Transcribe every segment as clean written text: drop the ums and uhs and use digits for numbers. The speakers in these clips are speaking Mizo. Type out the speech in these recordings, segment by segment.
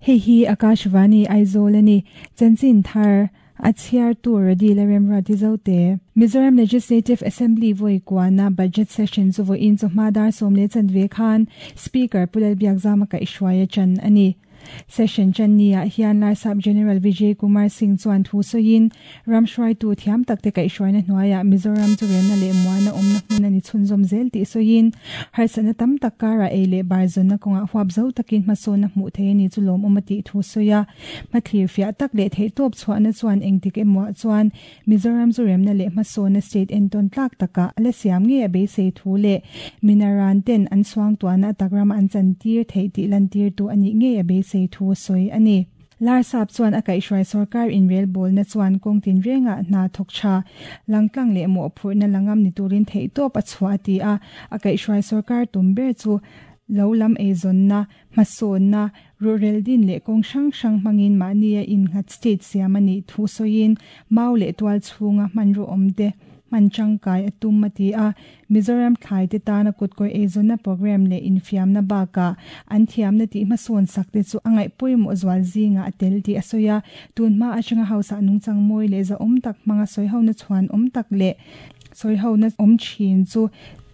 Hei hi Akashvani Aizawl a ni. Chanchin thar a chhiartu Radi Lalremruati Zote. Mizoram Legislative Assembly vawi kuana Budget Session chu vawiin chawhma dar 10:15 khan Speaker Pu Lalbiakzama kaihhruai a chan a ni. Session chan ni ah hian Larsap General Vijay Kumar Singh chuan thu sawiin ram hruaitu thiam tak te kaihhruaina hnuaiah Mizoram chu remna leh muana awmna hmun a ni chhunzawm zel tih sawiin harsatna tam tak karah ei leh bar zawnna kawngah huap zo takin hmasawnna hmuh theih a ni chu lawmawm a tih thu sawi a. Hmathlir fiah tak leh theihtawp chhuahna chuan engtik emaw ah chuan Mizoram chu remna leh hmasawnna state entawn tlak takah a la siam ngei a beisei thu leh minaran ten an suangtuahna a tak rama an chantir theih tih lantirtu a nih ngei a beisei thu a sawi a ni. Larsap chuan a kaihhruai sorkar inrelbawlna chuan kawng tinrengah hna thawk tha, langtlang leh mawhphurhna la ngam ni turin theihtawp a chhuah a ti a, a kaihhruai sorkar tum ber chu lo lam eizawnna, hmasawnna, Ruhrel din leh kawng hrang hrang hmangin mahnia innghat state siam a nih thu sawiin mau leh tual chhunga hmanraw awmte hman tangkai a tum a ti a. Mizoram thlaite tana kutkawih eizawnna programme leh infiamna bakah an thiamna tih hmasawn sakte chu a ngaih pawimawh zual zingah a tel tih a sawi a. Tunhma atanga hausa nungchang mawi leh zahawm tak hmanga sawihona chhuan awm tak leh sawihona awm thin chu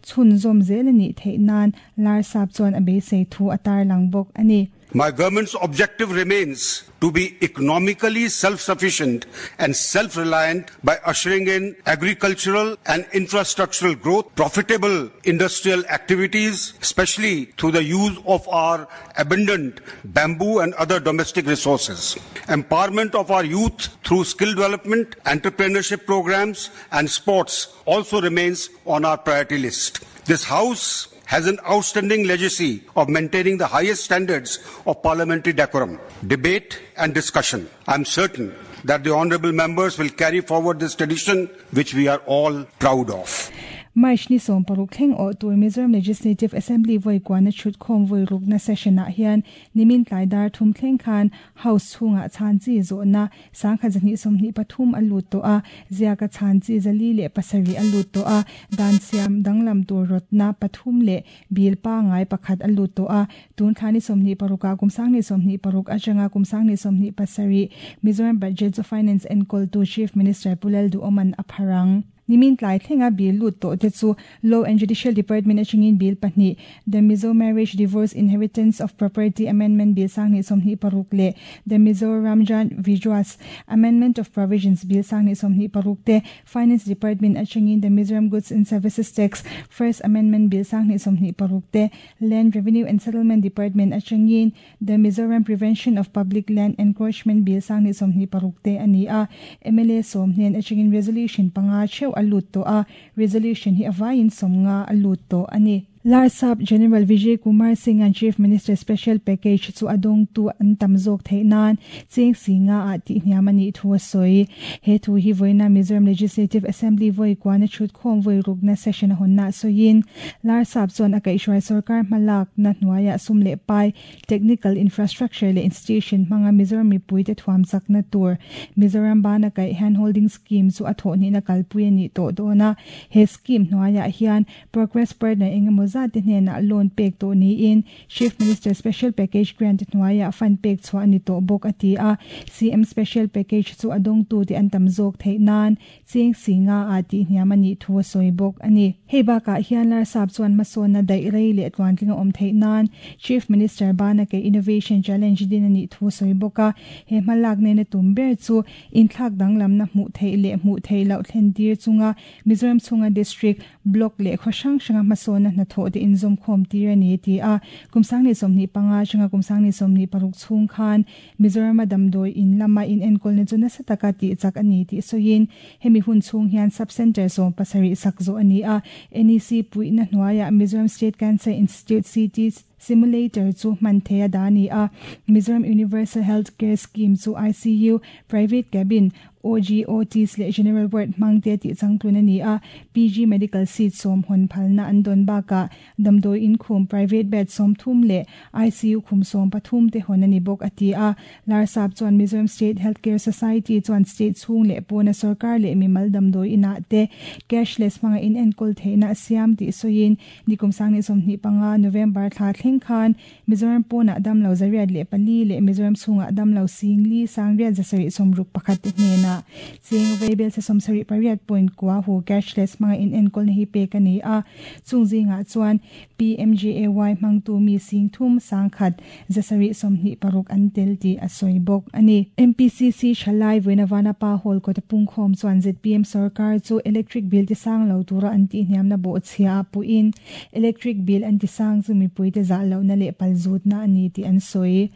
chhunzawm zel a nih theih nan Larsap chuan a beisei thu a tarlang bawk a ni. My government's objective remains to be economically self-sufficient and self-reliant by ushering in agricultural and infrastructural growth, profitable industrial activities, especially through the use of our abundant bamboo and other domestic resources, empowerment of our youth through skill development, entrepreneurship programs and sports also remains on our priority list. This house has an outstanding legacy of maintaining the highest standards of parliamentary decorum, debate and discussion. I am certain that the honorable members will carry forward this tradition which we are all proud of. March ni 16 thleng awh tur Mizoram Legislative Assembly vawi kuana chhut khawm vawi rukna session ah hian nimin tlai dar thum thleng khan House chhungah chhan chi zawhna 1223 a lut tawh a, ziaka chhan chi 407 a lut tawh a, dan siam danglam tur rawtna pathum leh bil pangngai pakhat a lut tawh a, tun thla ni 26 ah kum 2026 atanga kum 2027 Mizoram Budget chu Finance enkawltu Chief Minister Pu Lalduhawma'n a phar ang. Nimin tlai thlenga bill lut tawh te chu Law and Judicial Department atangin bill pahnih, The Mizo Marriage Divorce Inheritance of Property Amendment Bill 2026 leh The Mizoram Jan Vishwas Amendment of Provisions Bill 2026 te, Finance Department atangin The Mizoram Goods and Services Tax First Amendment Bill 2026 te, Land Revenue and Settlement Department atangin The Mizoram Prevention of Public Land Encroachment Bill 2026 te a ni a, mla sawm hnen atangin resolution panga theuh a lut tawh a, resolution hi a vaiin sawmnga a lut tawh a ni. Larsap General Vijay Kumar Singh-a'n Chief Minister Special Package chu a dawngtu an tam zawk theih nan cheng si nga ah tih hniam a nih thu a sawi. He thu hi vawiina Mizoram Legislative Assembly vawi kuana chhut khawm vawi rukna session a hawnna sawiin Larsap chuan a kaihhruai sorkar hmalakna hnuaiah sum leh pai, technical infrastructure leh institution hmanga Mizoram mipuite thuam chakna tur Mizoram bana kaih handholding scheme chu a thawhhnihna kalpui a nih tawh dawn a. He scheme hnuaiah hian Progress partner engemaw zat te hnenah loan pek tawh niin Chief Minister Special Package Grant hnuaiah fund pek chhuah a ni tawh bawk a ti a. CM Special Package chu a dawngtute an tam zawk theih nan Cheng si nga ah tih hniam a nih thu a sawi bawk a ni. Hei bakah hian Larsap chuan hmasawnna daih rei leh tluantling a awm theih nan Chief Minister bana ke Innovation Challenge din a nih thu a sawi bawk a. He hmalak nena tum ber chu inthlak danglamna hmuh theih leh hmuh theih loh thlen tir chunga Mizoram chhunga District, Block leh khaw hrang hranga hmasawnna hnathawh te inzawmkhawm tir a ni a ti a. Kum 2025 atanga kum 2026 chhung khan Mizorama damdawi in lama inenkawlna chu nasa taka tih chak a ni tih sawiin, hemi hun chhung hian Sub-Centre 17 sak zawh a ni a, NEC puihna hnuaiah Mizoram State Cancer Institute CT Simulator chu hman thei a dah a ni a, Mizoram Universal Health Care Scheme chu ICU, Private Cabin, OG, OTs leh General Ward hmang te tih changtlun a ni a, PG Medical Seat sawm hawn phalna an dawn bakah damdawi in khum private bed 30 leh ICU khum 13 te hawn a ni bawk a ti a. Larsap chuan Mizoram State Healthcare Society chuan state chhung leh pawna sorkar leh mimal damdawi inah te cashless hmanga in enkawl theihna a siam tih sawiin nikum 2025 November thla thleng khan Mizoram pawnah damlo 104 leh Mizoram chhungah damlo 4 861 te hnenah cheng veibel se 78.9 hu cashless hmanga in enkawl na hi pek a ni a. Chung zingah chuan PMJAY hmangtu mi 3 1,726 an tel tih a sawi bawk a ni. MPCC thalai vawiina Vanapa Hall kawta pungkhawm chuan ZPM sarkar chu electric bill ti sang lo tura an tih hniamna bawh chhia a puhin electric bill an ti sang chu mipui te zah lohna leh palzutna a ni tih an sawi.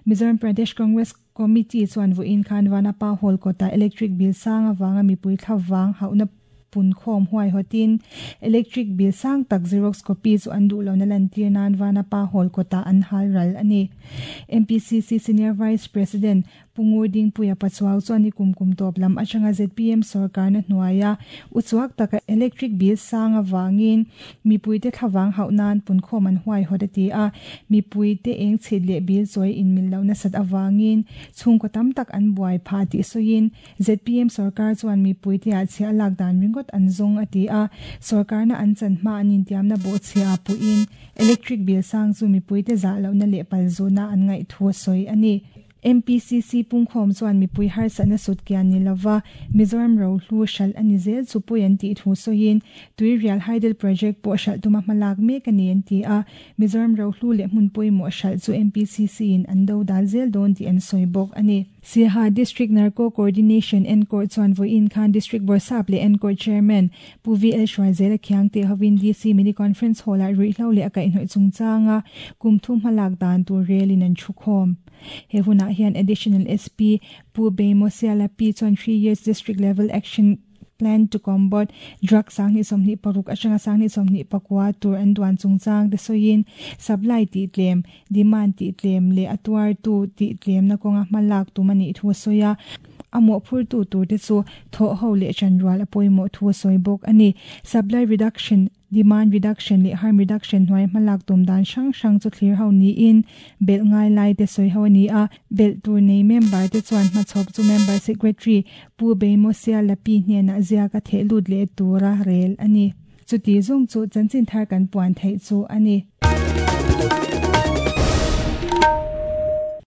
Mizoram Pradesh Congress Committee chuan vawiin khan Vanapa Hall kawta electric bill sang awanga mipui thla wang hauhna punkhawm huai hotin electric bill sang tak xerox copy chu an duh lohna lantir nan Vanapa Hall kawta an hal ral a ni. MPCC Senior Vice President Pungur Dingpuia Pachuau chuan ni kum kum tawp lam atanga ZPM sarkar na hnuaia uchuak taka electric bill sang awangin mipui te thlawang hauh nan punkhawm an huai hot a ti a. Mipui te eng chhit leh bill chawi in mil lohna sat awangin chhungkaw tam tak an buai pha tih sawiin ZPM sarkar chuan mipui te ah chhia lak dan ringot an zawng a ti a. Sarkar na an chan hma an intiamna bawh chhia puin electric bill sang chu mipui te zah lohna leh palzuna an ngaih thu a sawi a ni. MPCC pungkhawm chuan mipui harsatna sut kian ni lova Mizoram ro hlu hral ani zel chu pui an tih thu sawiin Tuirial Hydel Project pawh hral tuma hmalak mek ani an ti a. Mizoram ro hlu leh hmun pawimawh hral chu MPCC in an do dal zel dawn tih an sawi bawk a ni. Siaha District Narco Coordination and Court chuan vawiin khan District Bawrhsap leh Encourt Chairman Pu V L Hruaizela Khiangte hovin DC Mini Conference Hall ah ruihhlo leh a kaihhnawih chungchanga kum thu hmalak dan tur relin an thu khawm. He hunah hian Additional SP Pu Beimo Siala P chuan 3 years district level action plan to combat drug 2026 atanga 2029 tur an duan chungchang te sawiin supply tih tlem demand tih tlem leh a tuar tu tih tlem na kawnga hmalak tum ani thu a sawi a. A mawhphur tu tur te chu thaw ho leh chanrual a pawimawh thu a sawi bawk a ni. Supply reduction, demand reduction leh harm reduction hnuai hmalak tum dan hrang hrang chu thlir ho niin bel ngai lai te sawi ho ani a. Bel tur nei member te chuan hmachhawp chu member secretary Pu Beimo Siala P hnenah zia ka theh lut leh tura rel ani. Chuti zawng chu chanchin thar kan puan theih chu ani.